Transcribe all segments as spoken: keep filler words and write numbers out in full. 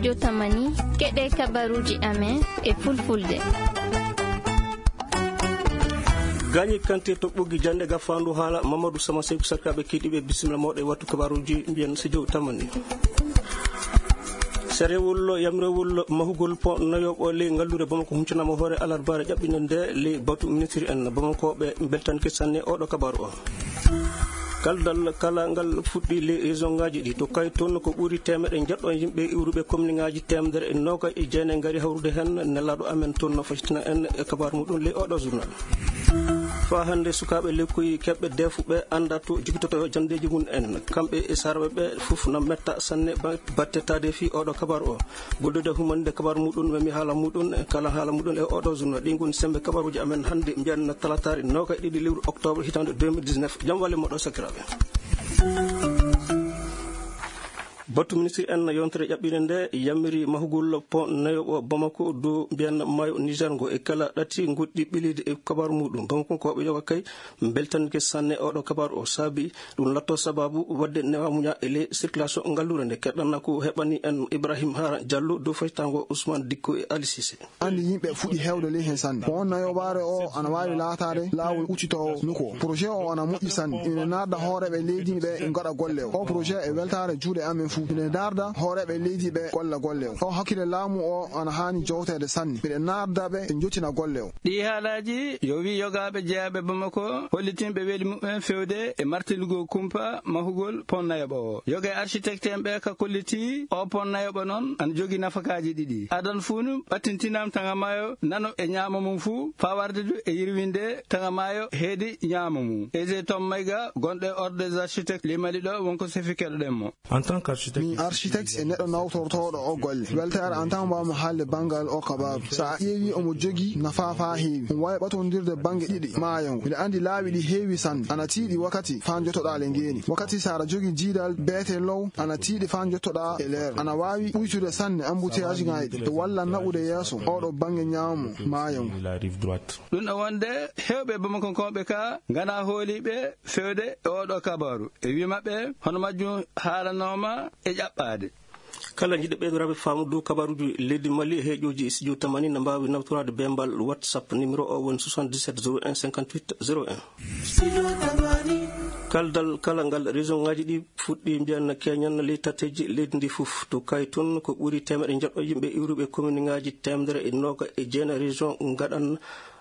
Jotamani, keɗe kabaruuji amen e fulfulde. Gaañi Kanté to Ɓoggi Jannde, gafaandu haala Mamadou Sama Seyku Sarkaaɓe keɗiiɓe, bisimilla mooɗon e wattu kabaruuji, mbiyen si jow tamani. Serewol, yamrewol mahugol pont nayoɓo ley ngallure Bamako huncanaama hoore alarbaare ƴaɓɓinde nde ley batu ministre en. Bamakooɓe mbeltanke sanne oɗo kabaru o. Kaldal kala ngal fuɗɗi ley région ngaji ɗi. To Kayton ko ɓuri teemeɗe njeɗɗo yimɓe iwruɓe commune ngaji teemedere e noga e jeenayi ngari hawrude heen. Nelaaɗo amen toon no facitina en e kabaru muɗum ley oɗo journal. Faa hannde sukaaɓe lekkoyi keɓɓe deefuɓe annda to jogitoto janndeeji mum en. Kamɓe e saarɓe ɓe fof no metta sanne ba-, batte taade fii oɗo kabaru o. Gollude humande kabaru muɗum, memi haala muɗum, kala haala muɗum e oɗo journal. Ɗi ngoni sembe kabaruuji amen hannde, mbiyan talataare noga e ɗiɗi lewru octobre hitaande deux mille dix-neuf. Jam walle moɗo sakiraaɓe. Batu ministre en yontere ƴaɓɓire nde yamiri mahugol pont nayoɓo Bamako dow mbiyan maayo Niger ngo e kala ɗati goɗɗi ɓilidi e kabaru muɗum. Bamako ko ɓe yoga kay mbeltanke sanne oɗo kabaru o saabi ɗum latto sababu wadde newa muña e ley circulation ngallure nde. Keɗɗanna ko heɓani en Ibrahim Hara Diallo dow faytango Ousmane Dikko e Ali Cissé. Andi yimɓe fuɗi hewde ley hen sanne. Ko on nayoɓaare o ana waawi laataade laawol uccitoowo nuko o. Projet o ana moƴƴi sanne. Ina naada hooreeɓe leydi ɓe gaɗa golle o. O projet e weltaare juuɗe amen fuu. Ina darda hooreeɓe leydi ɓe golla golle o. O hakkille laamu o ana haani jowteede sanne. Miɗen naarda ɓe ɓe njottina golle o. Ɗii haalaaji yo wii yogaaɓe jeyaaɓe Bamako hollitinɓe weli muɓɓen fewde e martindugol kumpa mahugol pont nayoɓo o. Yoga e architecte en ɓe ka kolliti o pont nayoɓo noon ana jogii nafakaaji ɗiɗi. Adan fuu nu ɓattintinaam taŋa maayo nano e ñaamo mum fuu faa warde du e yirwinde taŋa maayo heedi ñaamo mum. Aisé Tom Maïga gonɗo e Ordre des Architectes ley Mali ɗo wonko sefi keɗoɗen mo. En tant qu'architecte, mi architecte e neɗɗo nawtortooɗo o golle. Weltaare an tan mbawmi haalde banngal o kabaaru. So a ƴeewi omo jogii nafaa faa heewi. Omo waawi ɓatondirde bannge ɗiɗi maayo ngu. Miɗa anndi laawi ɗi heewi sanne. Ana tiiɗi wakkati faa njottoɗaa le ngeeni. Wakkati so aɗa jogii jiidal beete low, ana tiiɗi faa njottoɗaa e leer. Ana waawi ɓuytude sanne embouteillage ŋaaji ɗi. E walla naɓude yeeso oɗo bannge ñaamo maayo ngu. Ɗum ɗo wonde heewɓe Bamakonkooɓe ka ngana hooliiɓe fewde e oɗo kabaaru. E wii maɓɓe, hono majjum haalanooma e ƴaɓɓaade. Kala jiɗɗo ɓeydoraade faamu dow kabaaruuji leydi Mali, heeƴooji studio tamani na mbaawi nawtoraade beembal WhatsApp, numéro o woni soixante-dix-sept zéro un cinquante-huit zéro un. Kaldal kala ngal région ngaji ɗi fuɗɗi mbiyan keñan ley tatteeji leydi ndi fof. To Kayton ko ɓuri teemeɗe njeɗɗo yimɓe iwruɓe commune ngaji teemedere e noga e jeenayi région ngaɗan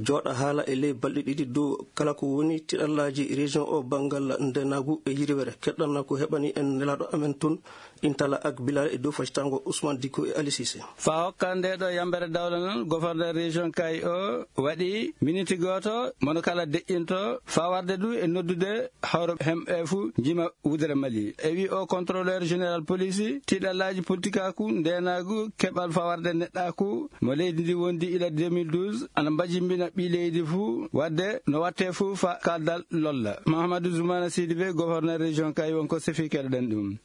jooɗa haala e ley balɗe ɗiɗi dow kala ko woni tiɗallaaji région o banngal ndeenaagu e yirwere. Keɗɗanna ko heɓani en nelaaɗo amen toon, Intala ak Bilal e dow facitango Ousmane Dikko e Ali Cissé. Faa hokka nde ɗo yambere dawla noon, gouverneur région Kayes o waɗi miniti gooto, mono kala deƴƴinto, faa warde du e noddude hawro hemɓe fuu njima wudere Mali. E wi o contrôleur général police, tiɗallaaji politikaaku, ndeenaagu, keɓal fawarde neɗɗaaku mo leydi ndi wondi ila deux mille douze, ana mbajimbina ɓii leydi fuu, wadde no watte fuu fa kaldal lolla. Mahamadou Zoumana Sidibé, gouverneur région Kayes, wonko sefi keɗoɗen ɗum.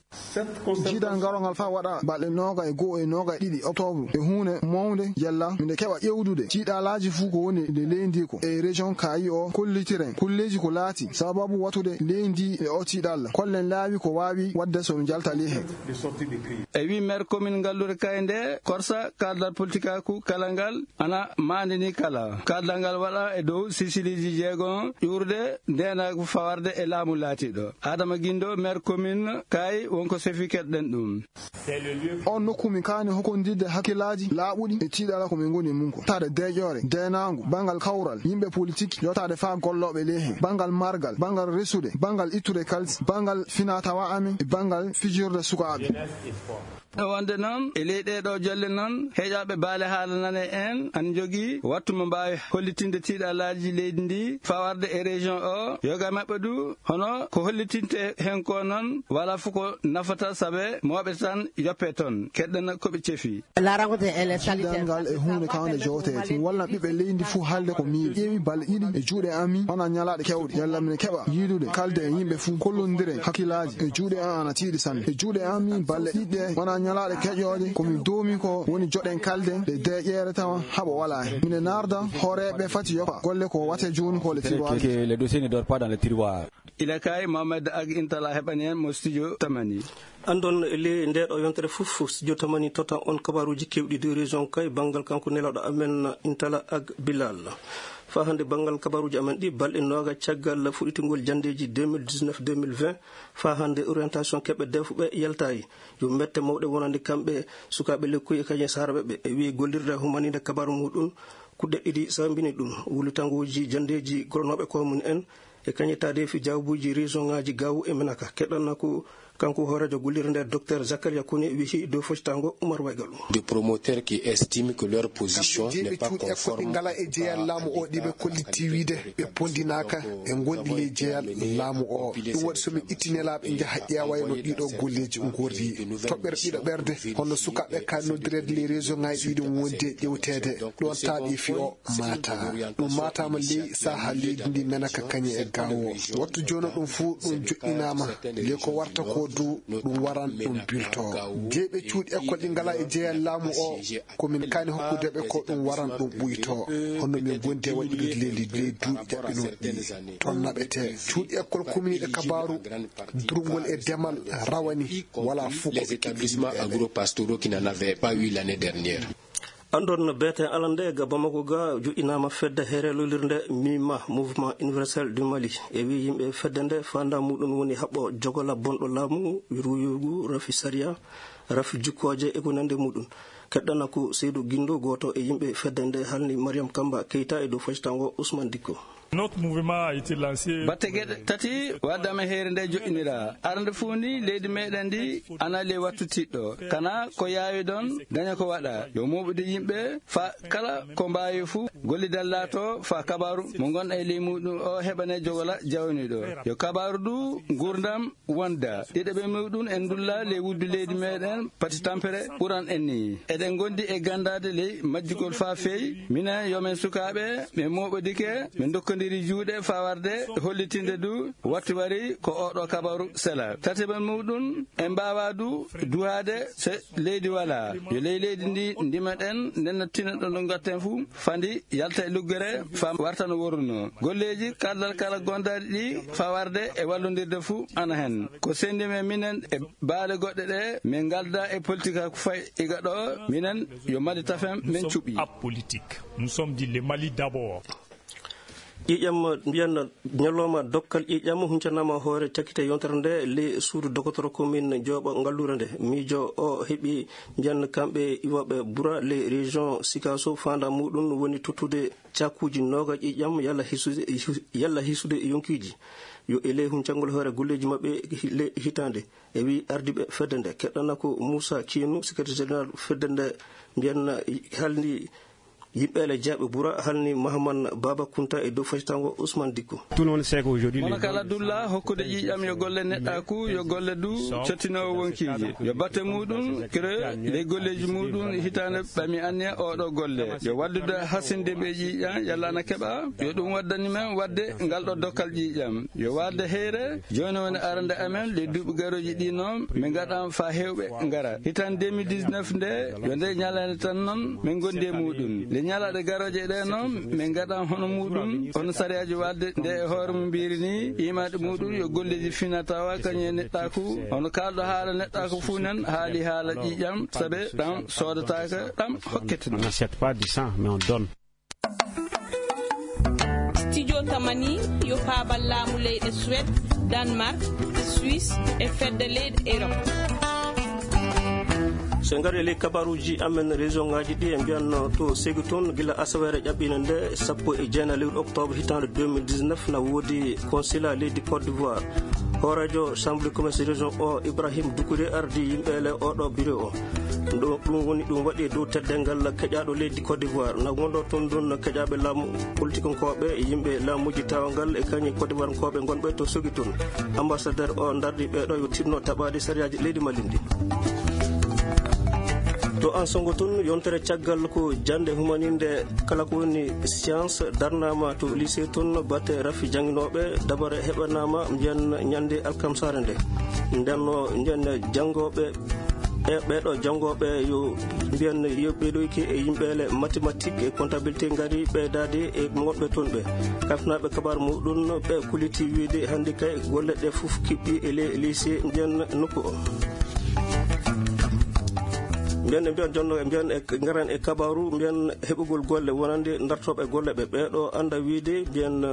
Jiidal ngal ngal faa waɗa balɗe nooga e goo e nooga e ɗiɗi octobre e huunde mawnde yalla minde keɓa ƴewdude tiiɗalaaji fuu ko woni nde leydi ko e région Kayes o kollitiren kulleeji ko laati sababu watude leydi e o tiiɗalla. Kollen laawi ko waawi waɗde so mi jalta ley heen. E wi maire commune ngallure Kayes nde korsa kaldal politikaaku kala ngal ana maandini kala. Kaldal ngal waɗa e dow sisiliiji jeegon ƴuurde ndeenaagu fawarde e laamu laatiiɗo. Adama Gindo, maire commune Kayes, wonko sefi keɗɗen ɗum. On nokku min kaani hokondirde hakkillaaji laaɓuɗi e tiiɗalla ko min ngoni e mum ko. Taade deeƴoore, deenaangu, banngal kawral, yimɓe politik, yottaade faa gollooɓe ley heen, banngal margal, banngal resude, banngal ittude kalsi, banngal finaa-tawaa amen e banngal fijirde sukaaɓe. Wonde noon, e ley ɗee ɗoo jolle noon, heeƴaaɓe baale haala nane en, ana njogii wattu mo mbaawi hollitinde tiiɗalaaji leydi ndi, fawarde e région o, yoga maɓɓe du, hono ko hollitinte heen ko noon, walaa fof ko nafata, sabe mooɓe tan yoppe toon, keɗɗen ko ɓe cefi. Jiidal ngal e huunde kawnde jowteede. Mi wallan ɓiɓɓe leydi ndi fof haalde ko miiri. Ƴeewi balɗe ɗiɗi e juuɗe am mi, wona ñalaaɗe keewɗe. Yalla mine keɓa yiidude, kalde e yimɓe fof, kollondiren hakkillaaji. E juuɗe am ana tiiɗi sanne. E juuɗe am mi, balɗe ɗiɗi ɗe, wona ñalaaɗe keƴooje, ko mi doomi ko woni joɗen kalde ɗe deeƴeere tawa haɓo walaa heen. Mine naarda hooreeɓe fati yoppa golle ko wate jooni ko le tiroir. Que le dossier ne dort pas dans le tiroir. Ila kay Mohamed Ag Intala heɓani en mo studio Tamani. Andon le nde ɗo yontere fof, studio Tamani tota on kabaruji kewɗi de région kay bangal kanko nelaɗo amen Intala Ag Bilal. Fa hande bangal kabaruji amen ɗi, balɗe noga caggal fuɗitugol jandeji deux mille dix-neuf deux mille vingt, fa hande orientation keɓe defuɓe yaltayi. Yo mette mawɗe wonande kamɓe sukaɓe lekkuy e kañum saraɓe ɓe, e wi gollirde humaninde kabaru muɗum. Kuɗɗe ɗiɗi sambini ɗum, wulitanguji jandeji goronoɓe ko mum en, e kañum taade fi jawbuji région ngaji gawu e menaka. Keɗɗanna ko kanko hoorejo gollirde nde, docteur Zakaria Kone, wihi dow foccitango Oumar Waygalu. Des promoteurs qui estiment que leur position n'est pas conforme. Ngala e jeyal laamu o ɗiɓe kolliti wiide ɓe pondinaka e gonɗi ley jeyal laamu o. Ɗum waɗi somi itti nelaaɓe njaha ƴeewayno ɗiɗo golleeji ngorri. Toɓɓere ɗiɗo ɓerde, hono sukaaɓe ka noddireede ley région ngaji ɗiɗi wonde ƴewteede. Ɗon taaɗi fi o maata. Ɗum maataama ley saha leydi ndi menaka kañe e gawo. Wattu jono ɗum fuu ɗum joɗɗinaama. Ley ko warta ko du ɗum waran ɗum bilto. Jeyɓe cuuɗi école ɗi ngala e jeyal laamu o, ko min kani hokkude ɓe ko ɗum waran ɗum ɓuyto. Hono min gondi e waɗɗude leydi ley duuɓi jaɓɓinooɗi ɗi. Toon naɓete cuuɗi école kumniiɗe kabaaru durngol e demal rawani, wala fuu ko ɓe keɓi. Les établissements agro-pastoraux qui n'en avaient pas eu l'année dernière. Andon beten alande ga Bamako ga joɗɗinama fedde here lolirde MIMA, Mouvement Universel du Mali. E wi yimɓe fedde nde fanda muɗum woni haɓɓo jogola bonɗo laamu, ruyugu, rafi sariya, rafi jukkoje e ko nande muɗum. Keɗɗana ko Seydou Guindo, goto e yimɓe fedde nde, halni Mariam Kamba Keita e dow foccitango Ousmane Dikko. Notre mouvement a été lancé. Batte geɗe tati wadde amen heere nde joɗɗinira. Arande fuu ni leydi meɗen ndi ana ley wattu tiɗɗo. Kana ko yaawi ɗon, daña ko waɗa. Yo moɓude yimɓe fa kala ko mbaawi fuu, gollidal laato fa kabaru mo ngonɗa e ley muɗum o heɓane jogola jawniɗo. Yo kabaru du ngurdam wonda. Ɗiɗaɓe muɗum en ndulla ley wuddu leydi meɗen, pati tampere ɓuran en ni. Eɗen gondi e gandade ley majjugol fa feewi. Minen yo men sukaaɓe, men moɓodike, men dokkondiri juuɗe fa warde hollitinde du wattu wari ko oɗo kabaru sela. Tataɓe muɗum, en mbawa du duhade se leydi wala. Yo ley leydi ndi ndimaɗen, ndenna tina ɗo no gatten fu, fandi yalta e luggere fa warta no worruno. Golleji kaldal kala gondaɗi ɗi fa warde e wallodirde fu ana hen. Ko sendi men minen e baale goɗɗe ɗe, min ngalda e politique ko fay iga ɗo, minen yo Mali tafen men cuɓi. Apolitique. Nous sommes dit le Mali d'abord. Ƴiiƴam mbiyan ñalawma dokkal ƴiiƴam huncanama hoore cakkite yontere nde le suudu dogotoro commune Jooɓa Ngallure nde. Miijo o heɓi mbiyan kamɓe iwoɓe bura le région Sikaso fanda muɗum woni tottude cakuji noga ƴiiƴam yalla hisude, yalla hisude yonkiji. Yo e ley huncangol hoore golleji maɓɓe le hitande. E wi ardiɓe fedde nde, keɗɗana ko Moussa Kienu, secrétaire général fedde nde, mbiyan halni yimɓe le jaaɓe bura, halni Mahaman Baba Kunta e dow fasitango Ousmane Dikko. Tout le monde sait qu'aujourd'hui, mono kala dulla hokkude ƴiiƴam yo golle neɗɗaku, yo golle du cottinowo wonkiji. Yo batte muɗum kere ley golleji muɗum hitande ɓami anniya oɗo golle. Yo waddude hasinde ɓe ƴiiƴam yalla ana keɓa. Yo ɗum waddani men wadde ngal ɗo dokkal ƴiiƴam. Yo warde heyre, jooni woni arande amen, le duuɓi garooji ɗi noon, min ngaɗan fa heewɓe ngara. Hitan deux mille dix-neuf nde, yo nde ñalande tan noon, min ngondi e muɗum. Le ñalaɗe garooje ɗe noon, min ngaɗan hono muɗum, hono sariyaaji wadde nde e hoore mum mbiri ni, imaɗe muɗum yo golleji fina tawa kañum e neɗɗaku, hono kalɗo haala neɗɗaku fuu nen, haali haala ƴiiƴam, sabe ɗam soodataaka, ɗam hokkete ɗum. On n'achète pas du sang, mais on donne. Studio Tamani, yo paabal laamu leyɗe Suède, Danemark, e Suisse, e fedde leyɗe Europe. So en ngari e ley kabaruuji amen, région ngaji ɗi e mbiyan to Ségou toon, gila asaweere ƴaɓɓiinde nde sappo e jeenayi lewru octobre hitaande deux mille dix-neuf, na woodi consulat leydi Côte d'Ivoire. Hooreejo Chambre de Commerce région o, Ibrahim Doucouré, ardi yimɓe le oɗo bureau o. Ɗo, ɗum woni, ɗum waɗi e dow teddeengal keƴaaɗo leydi Côte d'Ivoire. Na wonɗo toon ɗum keƴaaɓe laamu, politikankooɓe, yimɓe laamuuji tawangal e kañum Côte d'Ivoirenkooɓe ngonɓe to Ségou toon. Ambassadeur o darni ɓeeɗo yo tinno taɓaade sariyaaji leydi Mali ndi. To Ansongo toon, yontere caggal ko jannde humaninde kala ko woni science darnaama to lycée toon, batte rafi jannginooɓe, dabare heɓanaama mbiyan ñannde alkamsaare nde. Nden no mbiyan janngooɓe E ɓeeɗo janngooɓe yo mbiyen yo ɓeeɗoyke e yimɓeele mathématique e comptabilité ngari ɓeydaade e wonɓe toon ɓe. Kafnaaɓe kabaar muɗum ɓe kulitii wiide hannde kay golle ɗe fof kiɓɓi e le lycée mbiyen nokku o. Mbiyen e mbiyen jonno e mbiyen e ngaran e kabaaru mbiyen heɓugol golle wonande dartooɓe golle ɓe ɓeeɗo annda wiide mbiyen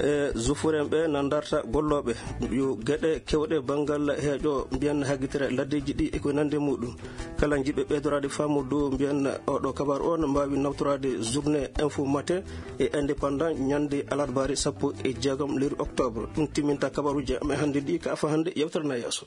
e zufuren ɓe na darta gollooɓe yo geɗe kewɗe banngal heeƴo mbiyen haggitere laddeeji ɗi e ko nande muɗum. Kala jiɗɓe ɓeydoraade faamu dow mbiyen oɗo kabaar on mbaawi nawtoraade journée info matin e indépendant ñande alarbaare sappo e jeegom lewru octobre. Ɗum timminta kabaruuji amen hannde ɗi ka afa hannde yewtere na yeeso.